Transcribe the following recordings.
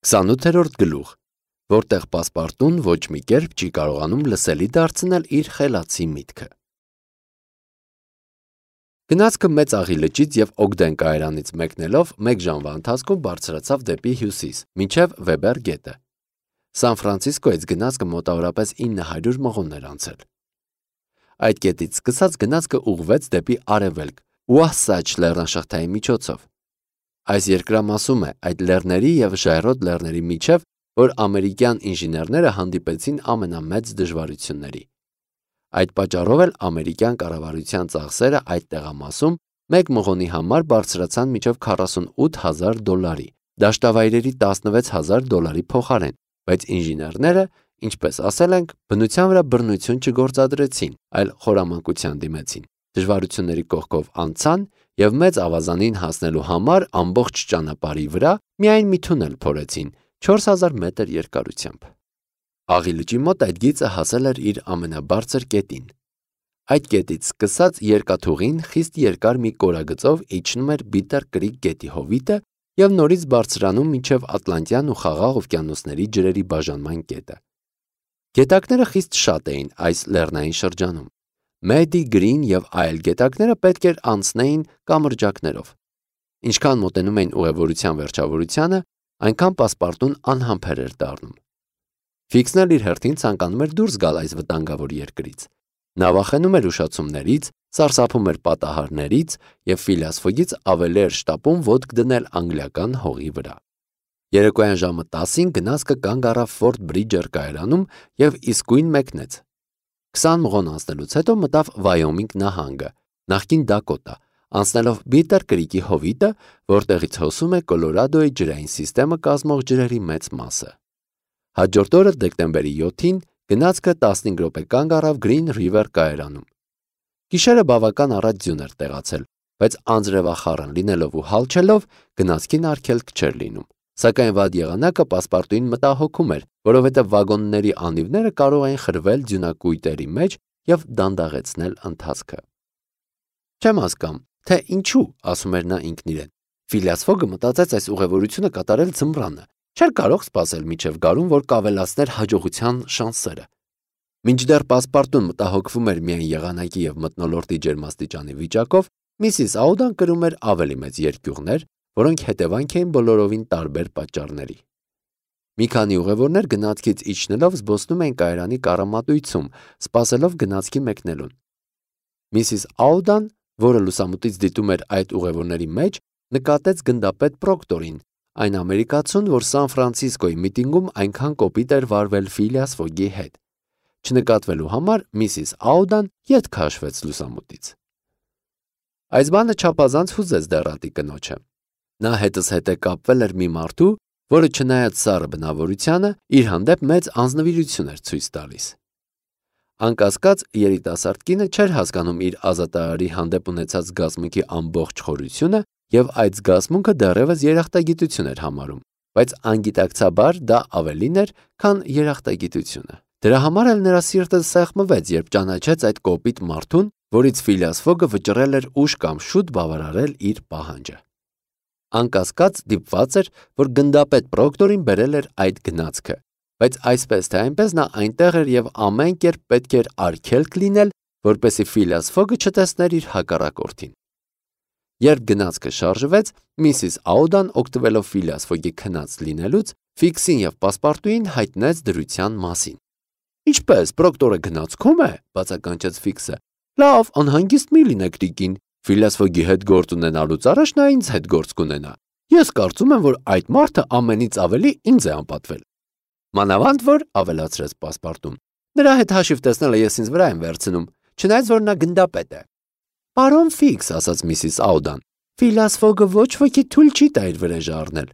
28-րդ գլուխ, որտեղ պասպարտուն ոչ մի կերպ չի կարողանում լսելի դարձնել իր խելացի միտքը։ Գնացքը մեծ աղի լճից և Օգդեն կայարանից մեկնելով մեկ ժամվա ընթացքում բարձրացավ դեպի հյուսիս, մինչև Վեբեր գետը։ Սան Ֆրանցիսկոյից գնացքը մոտավորապես 900 մղոն էր անցել։ Այդ կետից սկսած գնացքը ուղղվեց դեպի արևելք, Ուահսաչ լեռնաշղթայի միջոցով։ Այս երկրամասում է այդ լեռների և ժայռոտ լեռների միջև, որ ամերիկյան ինժեներները հանդիպեցին ամենամեծ դժվարությունների։ Այդ պատճառով էլ ամերիկյան կառավարության ծախսերը այդ տեղամասում մեկ մղոնի համար բարձրացան մինչև $48,000, դաշտավայրերի $16,000 փոխարեն, բայց ինժեներները, ինչպես ասել ենք, բնության վրա բռնություն չգործադրեցին, այլ խորամանկության դիմեցին, դժվարությունների կողքով անցան և մեծ ավազանին հասնելու համար ամբողջ ճանապարհի վրա միայն մի թունել փորեցին 4000 մետր երկարությամբ։ Աղի լճի մոտ այդ գիծը հասել էր իր ամենաբարձր կետին։ Այդ կետից սկսած երկաթուղին խիստ երկար մի կորագծով իջնում էր Բիտեր Կրիկ գետի հովիտը և նորից բարձրանում մինչև Ատլանտյան ու Խաղաղ օվկիանոսների ջրերի բաժանման կետը։ Գետակները խիստ շատ էին այս լեռնային շրջանում։ Մեդի, Գրին և այլ գետակները պետք էր անցնեին կամրջակներով։ Ինչքան մոտենում էին ուղևորության վերջավորությանը, այնքան պասպարտուն անհամբեր էր դառնում։ Ֆիքսն էլ իր հերթին ցանկանում էր դուրս գալ այս վտանգավոր երկրից։ Նա վախենում էր ուշացումներից, սարսափում էր պատահարներից և Ֆիլիաս Ֆոգից ավելի էր շտապում ոտք դնել անգլիական հողի վրա։ Երեկոյան ժամը 10-ին գնացքը կանգ առավ Ֆորտ Բրիջեր կայարանում և իսկույն մեկնեց։ 20 մղոն անցնելուց հետո մտավ Վայոմինգ նահանգը, նախկին Դակոտա, անցնելով Բիտեր Կրիկի հովիտը, որտեղից հոսում է Կոլորադոյի ջրային սիստեմը կազմող ջրերի մեծ մասը։ Հաջորդ օրը դեկտեմբերի 7-ին գնացքը 15 րոպե կանգ առավ Գրին Ռիվեր կայարանում։ Գիշերը բավական առատ ձյուն էր տեղացել, բայց անձրևախառն լինելով ու հալչելով գնացքին արգելք չէր լինում։ Սակայն վատ եղանակը պասպարտուին մտահոգում էր, որովհետև վագոնների անիվները կարող էին խրվել ձյունակույտերի մեջ և դանդաղեցնել ընթացքը։ Չեմ հասկանում, թե ինչու, ասում էր նա ինքն իրեն։ Ֆիլիաս Ֆոգը մտածեց այս ուղևորությունը կատարել ձմռանը, չէր կարող սպասել մինչև գարուն, որ կավելացներ հաջողության շանսերը։ Մինչդեռ պասպարտուն մտահոգվում էր միայն եղանակի և մթնոլորտի ջերմաստիճանի վիճակով, Միսիս Աուդան կրում էր ավելի մեծ երկյուղներ, որոնք հետևանք էին բոլորովին տարբեր պատճառների։ Մի քանի ուղևորներ գնացքից իջնելով զբոսնում էին կայարանի կառամատույցում, սպասելով գնացքի մեկնելուն։ Միսիս Աուդան, որը լուսամուտից դիտում էր այդ ուղևորների մեջ, նկատեց գնդապետ Պրոկտորին, այն ամերիկացուն, որ Սան Ֆրանցիսկոյի միտինգում այնքան կոպիտ էր վարվել Ֆիլիաս Ֆոգի հետ։ Չնկատվելու համար Միսիս Աուդան ետ քաշվեց լուսամուտից։ Այս բանը չափազանց հուզեց դեռատի կնոջը։ Նա հետզհետե կապվել էր մի մարդու, որը չնայած սառը բնավորությանը, իր հանդեպ մեծ անձնվիրություն էր ցույց տալիս։ Անկասկած, երիտասարդ կինը չէր հասկանում իր ազատարարի հանդեպ ունեցած զգացմունքի ամբողջ խորությունը և այդ զգացմունքը դեռևս երախտագիտություն էր համարում, բայց անգիտակցաբար դա ավելին էր, քան երախտագիտությունը։ Դրա համար էլ նրա սիրտը սեղմվեց, երբ ճանաչեց այդ կոպիտ մարդուն, որից Ֆիլիաս Ֆոգը վճռել էր ուշ կամ շուտ բավարարել իր պահանջը։ Անկասկած դիպված էր, որ գնդապետ Պրոկտորին բերել էր այդ գնացքը, բայց այսպես թե այնպես նա այնտեղ էր և ամեն կերպ պետք էր արգելք լինել, որպեսզի Ֆիլիաս Ֆոգը չտեսներ իր հակառակորդին։ Երբ գնացքը շարժվեց, Միսիս Աուդան, օգտվելով Ֆիլիաս Ֆոգի քնած լինելուց, Ֆիքսին և պասպարտուին հայտնեց դրության մասին։ Ինչպես, Պրոկտորը գնացքում է, բացականչեց Ֆիքսը։ Լավ, անհանգիստ մի լինեք, տիկին։ Ֆիլիաս Ֆոգի հետ գործ ունենալուց առաջ նա ինձ հետ գործ կունենա։ Ես կարծում եմ, որ այդ մարդը ամենից ավելի ինձ է անպատվել։ Մանավանդ որ, ավելացրեց պասպարտուն, նրա հետ հաշիվ տեսնելը ես ինձ վրա եմ վերցնում, չնայած որ նա գնդապետ է։ Պարոն Ֆիքս, ասաց Միսիս Աուդան, Ֆիլիաս Ֆոգը ոչ ոքի թույլ չի տա իր վրեժը առնել։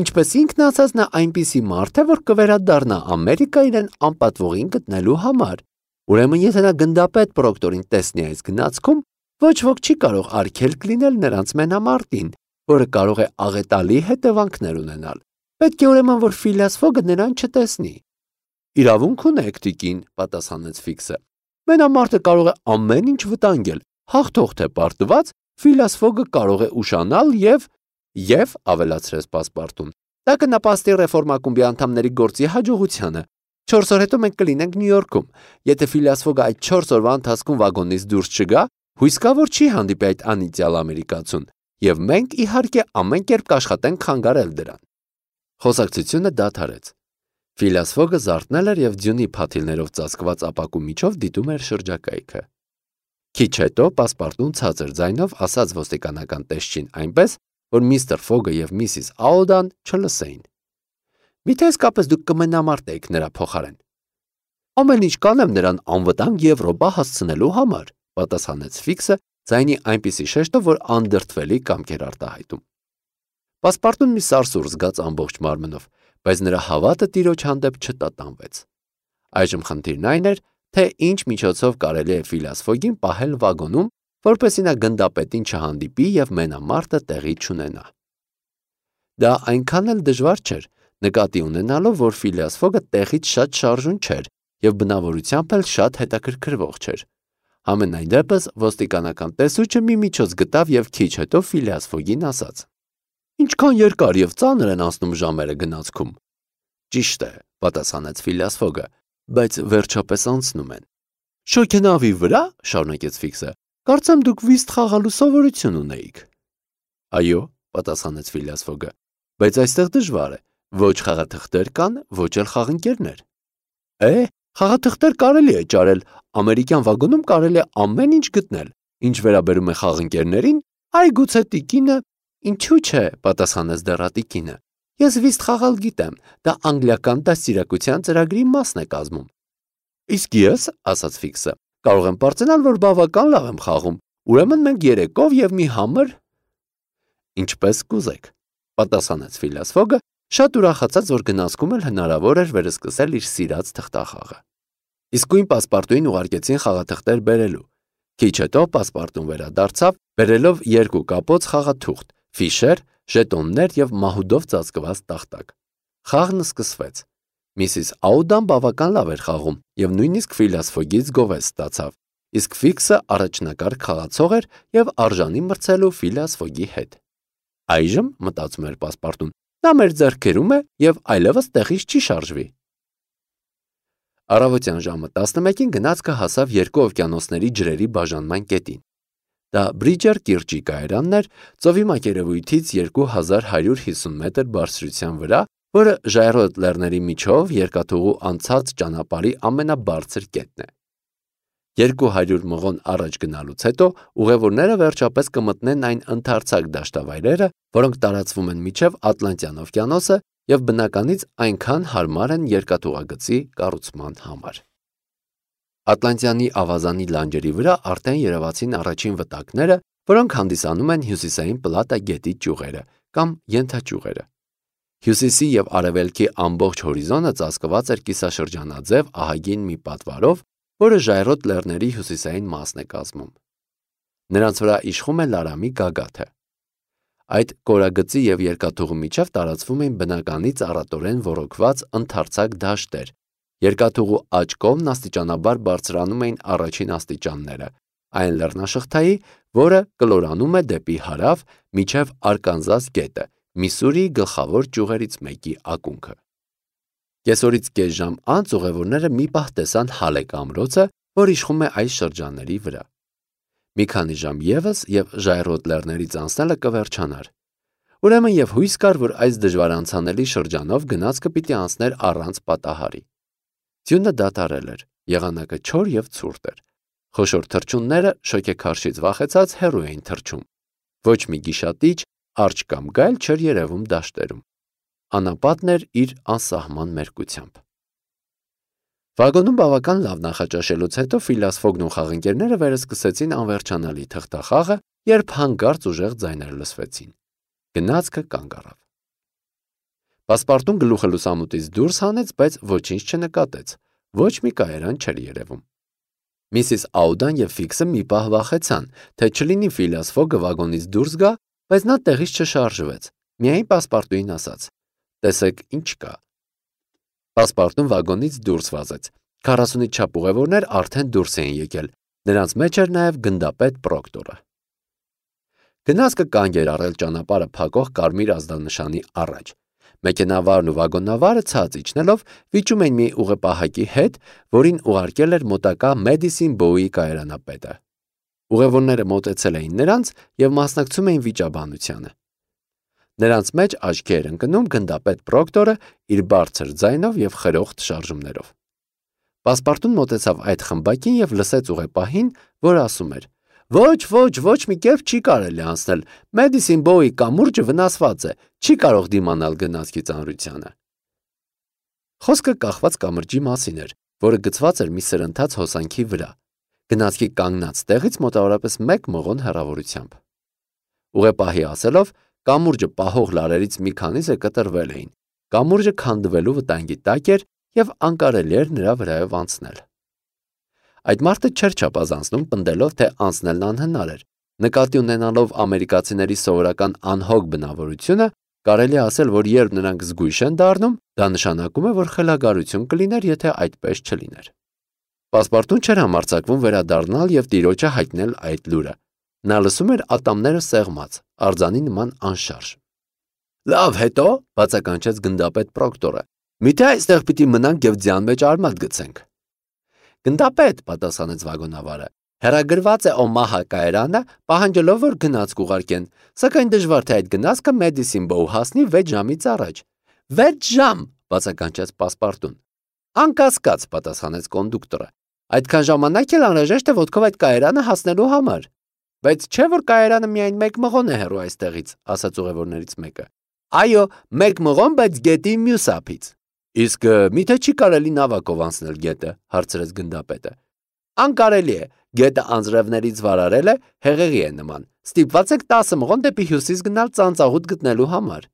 Ինչպես ինքն ասաց, նա այնպիսի մարդ է, որ կվերադառնա Ամերիկա իրեն անպատվողին գտնելու համար։ Ուրեմն եթե նա գնդապետ Պրոկտորին տեսնի այս գնացքում, ոչ ոք չի կարող արգելք լինել նրանց մենամարտին, որը կարող է աղետալի հետևանքներ ունենալ։ Պետք է ուրեմն, որ Ֆիլիաս Ֆոգը նրան չտեսնի։ Իրավունք ունեք, տիկին, պատասխանեց Ֆիքսը։ Մենամարտը կարող է ամեն ինչ վտանգել, հաղթող թե պարտված, Ֆիլիաս Ֆոգը կարող է ուշանալ և ավելացրեց պասպարտուն, Դա կնպաստի ռեֆորմակումբի անդամների գործի հաջողությանը։ 4 օր հետո մենք կլինենք Նյու Յորքում։ Եթե Ֆիլիաս Ֆոգը այդ 4 օրվա ընթացքում վագոնից դուրս չգա, հույս կա, որ չի հանդիպի այդ անիծյալ ամերիկացուն, եւ մենք իհարկե ամեն կերպ կաշխատենք խանգարել դրան։ Խոսակցությունը դադարեց։ Ֆիլիաս Ֆոգը զարթնել էր եւ ձյունի փաթիլներով ծածկված ապակու միջով դիտում էր շրջակայքը։ Քիչ հետո պասպարտուն ցածր ձայնով ասաց ոստիկանական տեսչին այնպես, որ միստր Ֆոգը եւ միսիս Աուդան չլսեին։ Միթե իսկապես դուք կմենամարտեիք նրա փոխարեն։ Ամեն ինչ կանեմ նրան անվտանգ Եվրոպա հասցնելու համար, պատասխանեց Ֆիքսը ձայնի այնպիսի շեշտով, որ անդրդվելի կամք էր արտահայտում։ Պասպարտուն մի սարսուռ զգաց ամբողջ մարմնով, բայց նրա հավատը տիրոջ հանդեպ չտատանվեց։ Այժմ խնդիրն այն էր, թե ինչ միջոցով կարելի է Ֆիլիաս Ֆոգին պահել վագոնում, որպեսզի նա գնդապետին չհանդիպի եւ մենամարտը տեղի չունենա։ Դա այնքան էլ դժվար չէր, նկատի ունենալով, որ Ֆիլիաս Ֆոգը տեղից շատ շարժուն չէր եւ բնավորությամբ էլ շատ հետաքրքրվող չէր։ Համենայն դեպս ոստիկանական տեսուչը մի միջոց գտավ եւ քիչ հետո Ֆիլիաս Ֆոգին ասաց. Ինչքան երկար եւ ծանր են անցնում ժամերը գնացքում։ Ճիշտ է, պատասխանեց Ֆիլիաս Ֆոգը, բայց վերջապես անցնում են։ Շոգենավի վրա, շարունակեց Ֆիքսը, կարծեմ դուք վիստ խաղալու սովորություն ունեիք։ Այո, պատասխանեց Ֆիլիաս Ֆոգը, բայց այստեղ դժվար է, ոչ խաղաթղթեր կան, ոչ էլ խաղընկերներ։ Խաղաթղթեր կարելի է ճարել, ամերիկյան վագոնում կարելի է ամեն ինչ գտնել, ինչ վերաբերում է խաղընկերներին, այ գուցե տիկինը, ինչու՞ չէ, պատասխանեց դեռատիկինը։ Ես վիստ խաղալ գիտեմ, դա անգլիական դաստիարակության ծրագրի մասն է կազմում։ Իսկ ես, ասաց Ֆիքսը, կարող եմ պարծենալ, որ բավական լավ եմ խաղում, ուրեմն մենք երեկով եւ մի համր։ Ինչպես կուզեք, պատասխանեց Ֆիլիաս Ֆոգը, շատ ուրախացած, որ գնացքում էլ հնարավոր էր վերսկսել իր սիրած թղթախաղը։ Իսկույն պասպարտուին ուղարկեցին խաղաթղթեր բերելու։ Քիչ հետո պասպարտուն վերադարձավ, բերելով 2 կապոց խաղաթուղթ, ֆիշեր, ժետոններ եւ մահուդով ծածկված տախտակ։ Խաղն սկսվեց։ Միսիս Աուդան բավական լավ էր խաղում եւ նույնիսկ Ֆիլիաս Ֆոգից գովես ստացավ, իսկ Ֆիքսը առաջնակարգ խաղացող էր եւ արժանի մրցելու Ֆիլիաս Ֆոգի հետ։ Այժմ, մտածում էր պասպարտուն, նա մեր ձեռքերում է եւ այլևս տեղից չի շարժվի։ Առավոտյան ժամը 11-ին գնացքը հասավ երկու օվկիանոսների ջրերի բաժանման կետին։ Դա Բրիջեր կիրճի կայարանն էր, ծովի մակերևույթից 2150 մետր բարձրության վրա, որը ժայռոտ լեռների միջով երկաթուղու անցած ճանապարհի ամենաբարձր կետն է։ 200 մղոն առաջ գնալուց հետո ուղևորները վերջապես կմտնեն այն ընդարձակ դաշտավայրերը, որոնք տարածվում են մինչև Ատլանտյան օվկիանոսը եւ բնականից այնքան հարմար են երկաթուղագծի կառուցման համար։ Ատլանտյանի ավազանի լանջերի վրա արդեն երևացին առաջին վտակները, որոնք հանդիսանում են հյուսիսային Պլատա գետի ճյուղերը կամ ենթաճյուղերը։ Հյուսիսի եւ արևելքի ամբողջ հորիզոնը ծածկված էր կիսաշրջանաձև ահագին մի պատվարով, որը ժայռոտ լեռների հյուսիսային մասն է կազմում։ Նրանց վրա իշխում է Լարամի գագաթը։ Այդ կորագծի եւ երկաթուղու միջև տարածվում են բնականից առատորեն ոռոգված ընդարձակ դաշտեր։ Երկաթուղու աջ կողմն աստիճանաբար բարձրանում էին առաջին աստիճանները, այն լեռնաշղթայի, որը կլորանում է դեպի հարավ մինչև Արկանզաս գետը, Միսսուրիի գլխավոր ճյուղերից մեկի ակունքը։ Կեսօրից կես ժամ անց ուղևորները մի պահ տեսան Հալեկ ամրոցը, որ իշխում է այս շրջանների վրա։ Մի քանի ժամ եւս եւ ժայռոտ լեռներից անցնելը կվերջանար։ Ուրեմն եւ հույս կար, որ այս դժվար անցանելի շրջանով գնացքը պիտի անցներ առանց պատահարի։ Ձյունը դատարել էր, եղանակը չոր եւ ցուրտ էր։ Խոշոր թռչունները շոգեքարշից վախեցած հեռու էին թռչում։ Ոչ մի գիշատիչ, արջ կամ գայլ չէր երևում դաշտերում։ Անապատն էր իր անսահման մերկությամբ։ Վագոնում բավական լավ նախաճաշելուց հետո Ֆիլիաս Ֆոգն ու խաղընկերները վերսկսեցին անվերջանալի թղթախաղը, երբ հանկարծ ուժեղ ձայներ լսվեցին։ Գնացքը կանգ առավ։ Պասպարտուն գլուխը լուսամուտից դուրս հանեց, բայց ոչինչ չնկատեց։ Ոչ մի կայարան չէր երևում։ Միսիս Աուդան եւ Ֆիքսը մի պահ վախեցան, թե չլինի Ֆիլիաս Ֆոգը վագոնից դուրս գա, բայց նա տեղից չշարժվեց։ Միայն պասպարտուին ասաց. «Տեսեք, ինչ կա»։ Պասպարտուն վագոնից դուրս վազեց։ 40-ից չափ ուղևորներ արդեն դուրս էին եկել։ Նրանց մեջ էր նաև գնդապետ Պրոկտորը։ Գնացքը կանգ էր առել ճանապարհը փակող կարմիր ազդանշանի առաջ։ Մեքենավարն ու վագոնավարը ցած իջնելով վիճում էին մի ուղեպահակի հետ, որին ուղարկել էր մոտակա Մեդիսին Բոուի կայարանապետը։ Ուղևորները մոտեցել էին նրանց և մասնակցում էին վիճաբանությանը։ Նրանց մեջ աչքի էր ընկնում գնդապետ Պրոկտորը իր բարձր ձայնով և խրոխտ շարժումներով։ Պասպարտուն մոտեցավ այդ խմբակին և լսեց ուղեպահին, որ ասում էր. ոչ մի կերպ չի կարելի անցնել, Մեդիսին Բոուի կամուրջը վնասված է, չի կարող դիմանալ գնացքի ծանրությանը։ Խոսքը կախված կամրջի մասին էր, որը գծված էր մի սրընթաց հոսանքի վրա, գնացքի կանգնած տեղից մոտավորապես 1 մղոն հեռավորությամբ։ Ուղեպահի ասելով, կամուրջը պահող լարերից մի քանիսը կտրվել էին, կամուրջը քանդվելու վտանգի տակ էր և անկարելի էր նրա վրայով անցնել։ Այդ մարդը չէր չափազանցնում, պնդելով, թե անցնելն անհնար էր։ Նկատի ունենալով ամերիկացիների սովորական անհոգ բնավորությունը, կարելի է ասել, որ երբ նրանք զգույշ են դառնում, դա նշանակում է, որ խելագարություն կլիներ, եթե այդպես չլիներ։ Պասպարտուն չէր համարձակվում վերադառնալ և տիրոջը հայտնել այդ լուրը։ Նա լսում էր ատամները սեղմած, արձանի նման անշարժ։ Լավ, հետո, բացականչեց գնդապետ Պրոկտորը, միթե այստեղ պիտի մնանք և ձյան մեջ արմատ գցենք։ Գնդապետ, պատասխանեց վագոնավարը, հեռագրված է Օմահա կայարանը, պահանջելով, որ գնացք ուղարկեն, սակայն դժվար թե այդ գնացքը Մեդիսին Բոու հասնի 6 ժամից առաջ։ 6 ժամ, բացականչեց Պասպարտուն։ Անկասկած, պատասխանեց կոնդուկտորը, այդքան ժամանակ էլ անհրաժեշտ է ոտքով այդ կայարանը հասնելու համար։ Բայց չէ՞ որ կայարանը միայն 1 մղոն է հեռու այստեղից, ասաց ուղևորներից մեկը։ Այո, 1 մղոն, բայց գետի մյուս ափից։ Իսկ միթե չի կարելի նավակով անցնել գետը, հարցրեց գնդապետը։ Անկարելի է, գետը անձրևներից վարարել է, հեղեղի է նման։ Ստիպված եք 10 մղոն դեպի հյուսիս գնալ ծանծաղուտ գտնելու համար։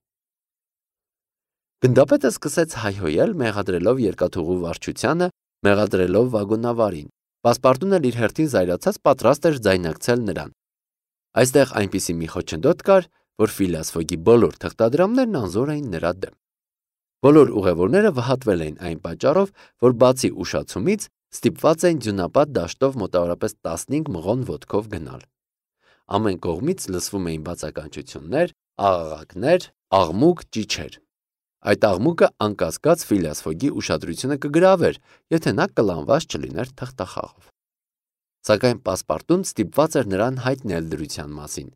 Գնդապետը սկսեց հայհոյել, մեղադրելով երկաթուղու վարչությանը, մեղադրելով վագոնավարին։ Պասպարտուն էլ իր հերթին զայրացած պատրաստ էր ձայնարկել նրան։ Այստեղ այնպիսի մի խոչընդոտ կար, որ Ֆիլիաս Ֆոգի բոլոր թղթադրամներն անզոր էին նրա դեմ։ Բոլոր ուղևորները վհատվել էին այն պատճառով, որ բացի ուշացումից ստիպված էին ձյունապատ դաշտով մոտավորապես 15 մղոն ոտքով գնալ։ Ամեն կողմից լսվում էին բացականչություններ, աղաղակներ, աղմուկ, ճիչեր։ Այդ աղմուկը անկասկած Ֆիլիաս Ֆոգի ուշադրությունը կգրավեր, եթե նա կլանված չլիներ թղթախաղով։ Սակայն Պասպարտուն ստիպված էր նրան հայտնել դրության մասին։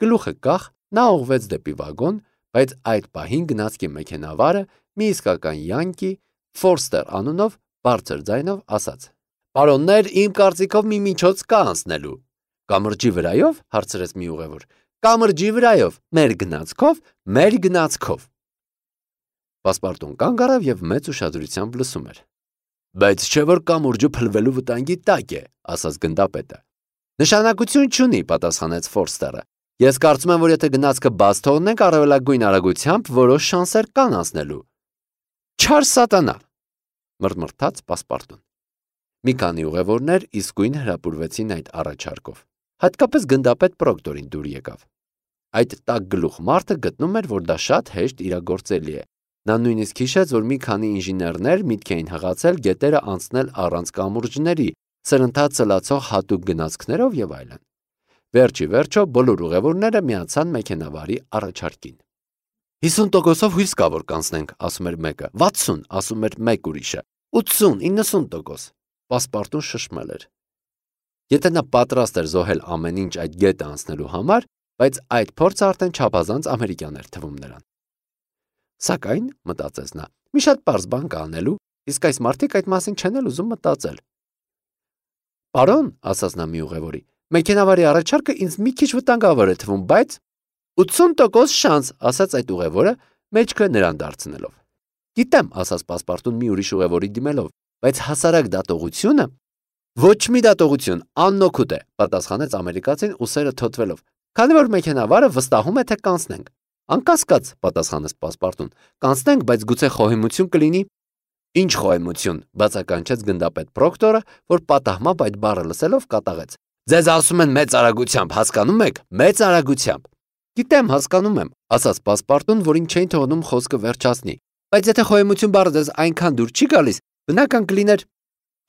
Գլուխը կախ, նա ուղղվեց դեպի վագոն, բայց այդ պահին գնացքի մեքենավարը մի իսկական յանկի Ֆորստեր անունով բարձր ձայնով ասաց. Պարոններ, իմ կարծիքով մի միջոց կա անցնելու։ Կամրջի վրայով, հարցրեց մի ուղևոր։ Կամրջի վրայով, մեր գնացքով։ Պասպարտուն կանգ առավ և մեծ ուշադրությամբ լսում էր։ Բայց չէ որ կամուրջը փլվելու վտանգի տակ է, ասաց գնդապետը։ Նշանակություն չունի, պատասխանեց Ֆորստերը։ Ես կարծում եմ, որ եթե գնացքը բաց թողնենք առավելագույն արագությամբ, որոշ շանսեր կան անցնելու։ Չար սատանա, մռմռթաց Պասպարտուն։ Մի քանի ուղևորներ իսկույն հրապուրվեցին այդ առաջարկով։ Հատկապես գնդապետ Պրոկտորին դուր եկավ։ Այդ տաք գլուխ մարդը գտնում էր, որ դա շատ հեշտ իրագործելի է։ Նա նույնիսկ հիշեց, որ մի քանի ինժեներներ միտք էին հղացել գետերը անցնել առանց կամուրջների, սրընթաց ցլացող հատուկ գնացքներով եւ այլն։ Վերջի վերջո բոլոր ուղևորները միացան մեքենավարի առաջարկին։ 50%-ով հույս կա, որ կանցնենք, ասում էր մեկը, 60, ասում էր մեկ ուրիշը, 80-90%։ Պասպարտուն շշմել էր։ Եթե նա պատրաստ էր զոհել ամեն ինչ այդ գետը անցնելու համար, բայց այդ փորձը արդեն չափազանց ամերիկյան էր թվում նրան։ Սակայն, մտածեց նա, մի շատ պարզ բան կա անելու, իսկ այս մարդիկ այդ մասին չեն էլ ուզում մտածել։ Պարոն, ասաց նա մի ուղևորի, մեքենավարի առաջարկը ինձ մի քիչ վտանգավոր է թվում, բայց 80% շանս, ասաց այդ ուղևորը, մեջքը նրան դարձնելով։ Գիտեմ, ասաց Պասպարտուն մի ուրիշ ուղևորի դիմելով, բայց հասարակ դատողությունը ոչ մի դատողություն, անօգուտ է, պատասխանեց ամերիկացին ուսերը թոթվելով, քանի որ մեքենավարը վստահում է, թե կանցնենք։ Անկասկած, պատասխանեց Պասպարտուն, կանցնենք, բայց գուցե խոհեմություն կլինի։ Ինչ խոհեմություն, բացականչեց գնդապետ Պրոկտորը, որ պատահմամբ այդ բառը լսելով կատաղեց։ Ձեզ ասում են մեծ արագությամբ, հասկանում եք, մեծ արագությամբ։ Գիտեմ, հասկանում եմ, ասաց Պասպարտուն, որին չէին թողնում խոսքը վերջացնի։ Բայց եթե խոհեմություն բառը ձեզ այնքան դուր չի գալիս, բնական կլիներ։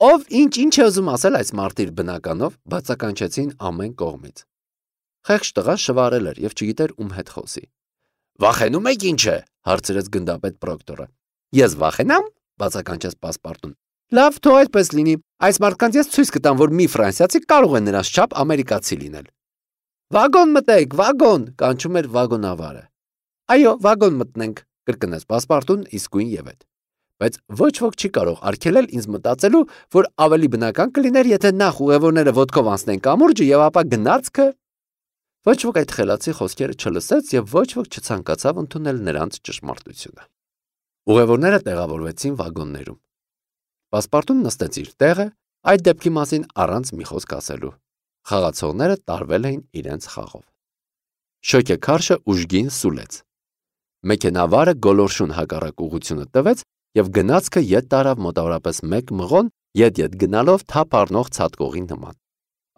Ով ինչ է ուզում ասել այս մարտիր բնականով, բացականչեցին ամեն կողմից։ Խեղճ տղան շվարել էր եւ չգիտեր ում հետ խոսի։ Վախենում եք ինչ է, հարցրեց գնդապետ Պրոկտորը։ Ես վախենամ, բացականչեց Պասպարտուն։ Լավ, թող այդպես լինի։ Այս մարդկանց ես ցույց կտամ, որ մի ֆրանսիացի կարող է նրանց չափ ամերիկացի լինել։ Վագոն մտեք, վագոն, կանչում էր վագոնավարը։ Այո, վագոն մտնենք, կրկնեց Պասպարտուն իսկույն եւ այդ։ Բայց ոչ ոք չի կարող արգելել ինձ մտածելու, որ ավելի բնական կլիներ, եթե նախ ուղևորները ոտքով անցնեն կամուրջը եւ ապա գնացքը։ Ոչ ոք այդ խելացի խոսքերը չլսեց եւ ոչ ոք չցանկացավ ընդունել նրանց ճշմարտությունը։ Ուղևորները տեղավորվեցին վագոններում։ Պասպարտուն նստեց իր տեղը, այդ դեպքի մասին առանց մի խոսք ասելու։ Խաղացողները տարվել էին իրենց խաղով։ Շոկեքարշը ուժգին սուլեց։ Մեքենավարը գոլորշուն հակառակ ուղղությունը տվեց եւ գնացքը ետ տարավ մոտավորապես 1 մղոն ետ գնալով թափ առնող ցատկողի նման։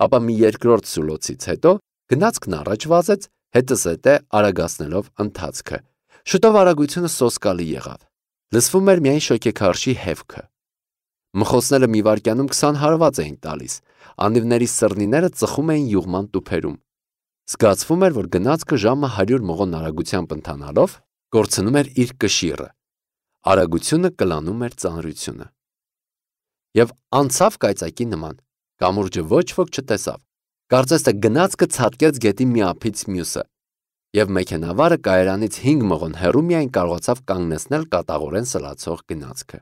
Ապա մի երկրորդ սուլոցից հետո գնացքն առաջ վազեց, հետզհետե արագացնելով ընթացքը։ Շուտով արագությունը սոսկալի եղավ։ Լսվում էր միայն շոկեքարշի հևքը։ Մխոսները մի վայրկյանում 20 հարված էին տալիս, անիվների սռնիները ծխում էին յուղման տուփերում։ Զգացվում էր, որ գնացքը ժամը 100 մղոն արագությամբ ընթանալով կորցնում էր իր կշիռը։ Արագությունը կլանում էր ծանրությունը։ Եվ անցավ կայծակի նման, կամուրջը ոչ ոք չտեսավ, կարծես թե գնացքը ցատկեց գետի մի ափից մյուսը, եւ մեքենավարը կայարանից 5 մղոն հեռու միայն կարողացավ կանգնեցնել կատաղորեն սլացող գնացքը։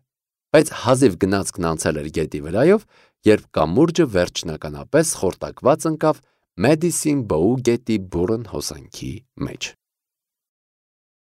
Բայց հազիվ գնացքն անցել էր գետի վրայով, երբ կամուրջը վերջնականապես խորտակված ընկավ Մեդիսին Բոու գետի բուռն հոսանքի մեջ։